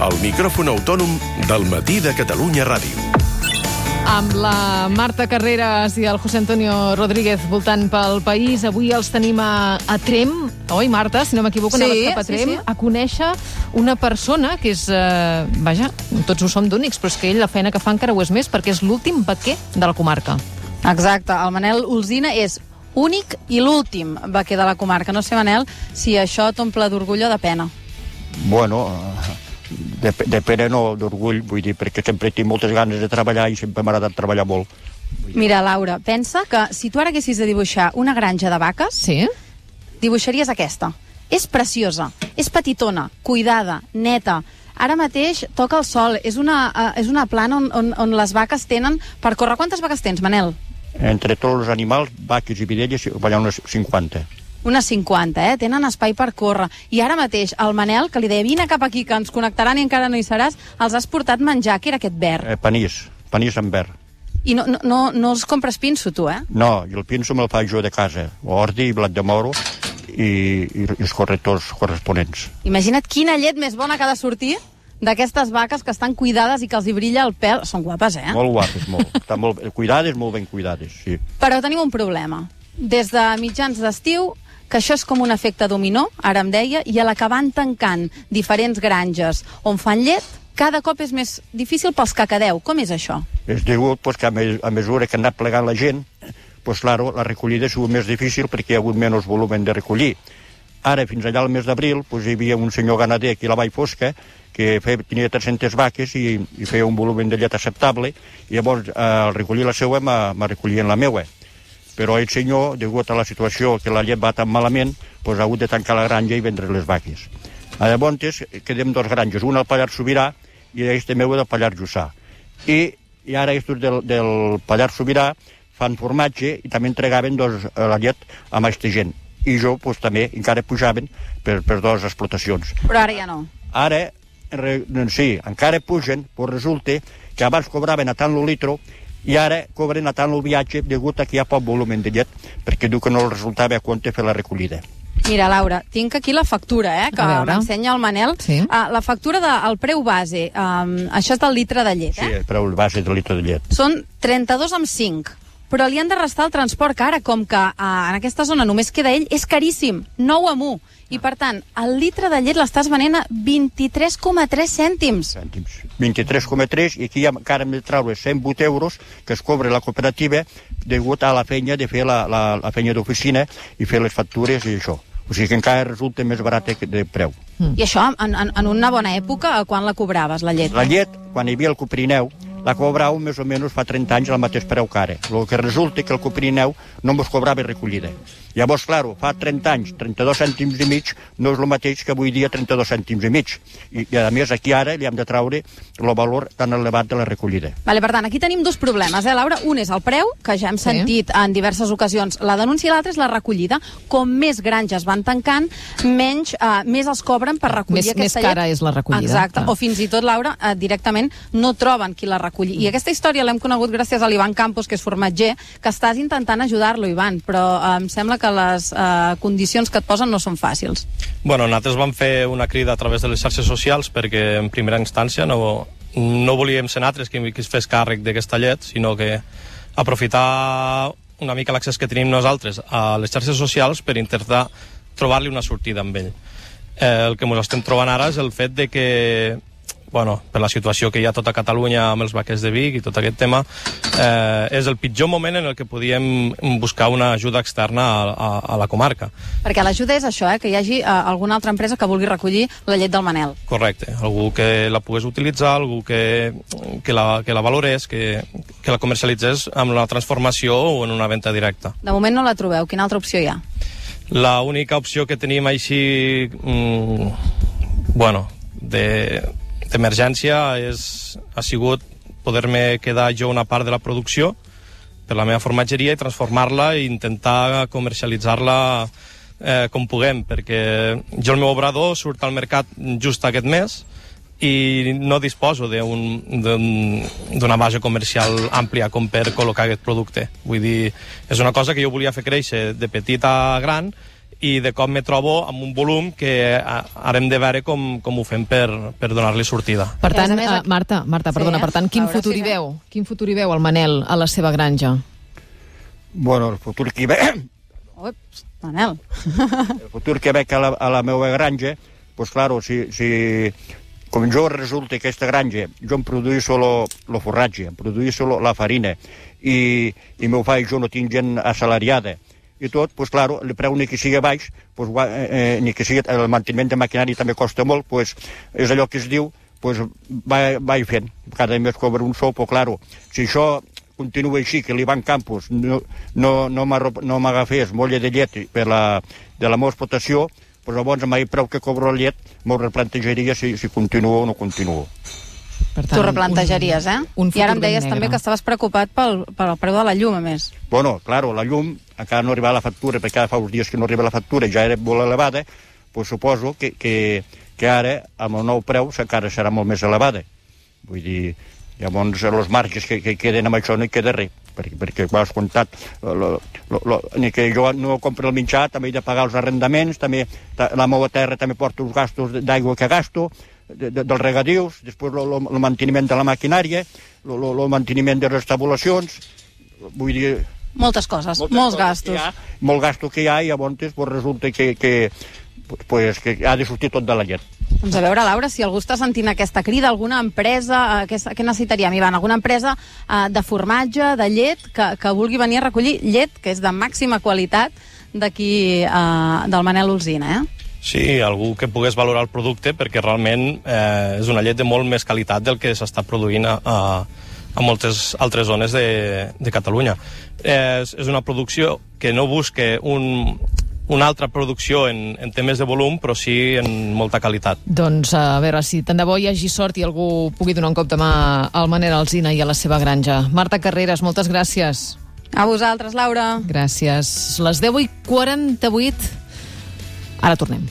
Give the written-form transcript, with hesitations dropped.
El micròfon autònom del Matí de Catalunya Ràdio. Amb la Marta Carreras i el José Antonio Rodríguez voltant pel país, avui els tenim a Trem, oi Marta? Si no m'equivoco, anaves cap a Trem, a conèixer una persona que és, vaja, tots ho som d'únics, però és que ell la feina que fa encara ho és més, perquè és l'últim vaquer de la comarca. Exacte, el Manel Olsina és únic i l'últim vaquer de la comarca. No sé, Manel, si això t'omple d'orgull o de pena. Bueno, de pena no, d'orgull, vull dir, perquè sempre tinc moltes ganes de treballar i sempre m'ha agradat treballar molt. Mira, Laura, pensa que si tu ara haguessis de dibuixar una granja de vaques, sí? Dibuixaries aquesta. És preciosa, és petitona, cuidada, neta. Ara mateix toca el sol, és una plana on les vaques tenen per córrer. Quantes vaques tens, Manel? Entre tots els animals, vaques i videlles, hi ha unes 50. Unes 50, Tenen espai per córrer. I ara mateix, el Manel, que li deia, vine cap aquí, que ens connectaran i encara no hi seràs, els has portat menjar, que era aquest verd. Panís amb verd. I no els compres pinso, tu, No, i el pinso me'l faig jo de casa. Ordi, blat de moro i els correctors corresponents. Imagina't quina llet més bona que ha de sortir d'aquestes vaques que estan cuidades i que els hi brilla el pèl. Són guapes, Molt guapes, molt. Estan molt cuidades, molt ben cuidades, sí. Però tenim un problema. Des de mitjans d'estiu, que això és com un efecte dominó, ara em deia, i a la que van tancant diferents granges on fan llet, cada cop és més difícil pels que quedeu. Com és això? És degut que a mesura que ha anat plegant la gent, claro, la recollida ha sigut més difícil perquè hi ha hagut menys volum de recollir. Ara, fins allà al mes d'abril, hi havia un senyor ganader aquí a la Vall Fosca que tenia 300 vaques i feia un volum de llet acceptable, i llavors al recollir la seva me recollien la meua. Però el senyor, degut a la situació que la llet va tan malament, ha hagut de tancar la granja i vendre les vaques. Llavors quedem dos granges, una al Pallars Sobirà i aquesta meua del Pallars Jussà. I ara aquests del Pallars Sobirà fan formatge i també entregaven la llet a aquesta gent. I jo també encara pujaven per dues explotacions. Però ara ja no. Ara, sí, encara pugen, però resulta que abans cobraven a tant el litro i ara cobren a tant el viatge degut a que hi ha poc volum de llet, perquè diu que no els resultava a compte fer la recollida. Mira, Laura, tinc aquí la factura, que m'ensenya el Manel. Sí. La factura del preu base, això és del litre de llet, Sí, el preu base del litre de llet. Són 32,5. Però li han de restar el transport, que ara, com que en aquesta zona només queda ell, és caríssim, 9 amb 1. I, per tant, el litre de llet l'estàs venent a 23,3 cèntims. 23,3, i aquí encara hem de treure 108 euros que es cobra la cooperativa degut a la feina de fer la feina d'oficina i fer les factures i això. O sigui que encara resulta més barat de preu. I això, en una bona època, quan la cobraves, la llet? La llet, quan hi havia el Coprineu, la cobrau més o menys fa 30 anys al mateix preu que ara. El que resulta que el Coprineu no ens cobrava recollida. Llavors, clar, fa 30 anys, 32 cèntims i mig no és el mateix que avui dia 32 cèntims i mig. I a més, aquí ara li hem de treure el valor tan elevat de la recollida. Vale, per tant, aquí tenim dos problemes, Laura? Un és el preu, que ja hem sentit en diverses ocasions la denúncia, i l'altre és la recollida. Com més granges van tancant, més els cobren per recollir aquesta llet. Més cara és la recollida. Exacte, o fins i tot, Laura, directament no troben qui la recolli. I aquesta història l'hem conegut gràcies a l'Ivan Campos, que és formatger, que estàs intentant ajudar-lo, Ivan, però em sembla que les condicions que et posen no són fàcils. Bueno, nosaltres vam fer una crida a través de les xarxes socials perquè en primera instància no volíem ser nosaltres qui es fes càrrec d'aquesta llet, sinó que aprofitar una mica l'accés que tenim nosaltres a les xarxes socials per intentar trobar-li una sortida amb ell. El que ens estem trobant ara és el fet de que, bueno, per la situació que hi ha a tota Catalunya amb els vaquers de Vic i tot aquest tema, és el pitjor moment en el que podíem buscar una ajuda externa a la comarca. Perquè l'ajuda és això, que hi hagi alguna altra empresa que vulgui recollir la llet del Manel. Correcte, algú que la pogués utilitzar, algú que la valorés, que la comercialitzés amb la transformació o en una venda directa. De moment no la trobeu, quina altra opció hi ha? La única opció que tenim així, bueno, d'emergència ha sigut poder-me quedar jo una part de la producció per la meva formatgeria i transformar-la i intentar comercialitzar-la com puguem, perquè jo el meu obrador surt al mercat just aquest mes i no disposo d'una base comercial àmplia com per col·locar aquest producte. Vull dir, és una cosa que jo volia fer créixer de petit a gran i de cop me trobo amb un volum que ara hem de veure com ho fem per donar-li sortida. Per tant, Marta, perdona, per tant, quin futur hi veu? Quin futur hi veu el Manel a la seva granja? Bueno, el futur que hi ve... Ups, Manel. El futur que veig a la meva granja, pues claro, si com jo resulta que aquesta granja, jo em produïsco el forratge, em produïsco la farina, i meu faig jo no tinc gent assalariada, i tot, pues claro, el preu ni que sigui baix, pues, ni que sigui el manteniment de maquinari també costa molt, pues és allò que es diu, pues vaig fent. Cada mes cobro un sou, però claro, si això continua així, que l'Ivan Campos no m'agafés molla de llet de la meva explotació, doncs llavors amb el preu que cobro la llet m'ho replantejaria si continuo o no continuo. Tu replantejaries, eh? I ara em deies també que estaves preocupat pel preu de la llum, a més. Bueno, claro, la llum, encara no arriba la factura, perquè fa uns dies que no arriba la factura, ja era molt elevada, doncs suposo que ara, amb el nou preu, encara serà molt més elevada. Vull dir, llavors els marges que queden amb això no hi queda res, perquè ho has comptat, ni que jo no compro el menjar, també he de pagar els arrendaments, també la meva terra també porta els gastos d'aigua que gasto, dels regadius, després el manteniment de la maquinària, el manteniment de les tabulacions, vull dir... Moltes coses, molts gastos. Molt gasto que hi ha, i llavors resulta que ha de sortir tot de la llet. Doncs a veure, Laura, si algú està sentint aquesta crida, alguna empresa, què necessitaríem, Ivan? Alguna empresa de formatge, de llet, que vulgui venir a recollir llet, que és de màxima qualitat, d'aquí del Manel Olsina, eh? Sí, algú que pogués valorar el producte, perquè realment és una llet de molt més qualitat del que s'està produint a moltes altres zones de Catalunya. És una producció que no busca una altra producció en temes de volum, però sí en molta qualitat. Doncs a veure si tant de bo hi hagi sort i algú pugui donar un cop de mà al Manel Olsina i a la seva granja. Marta Carreras, moltes gràcies. A vosaltres, Laura. Gràcies. Les 10:48. Ara tornem.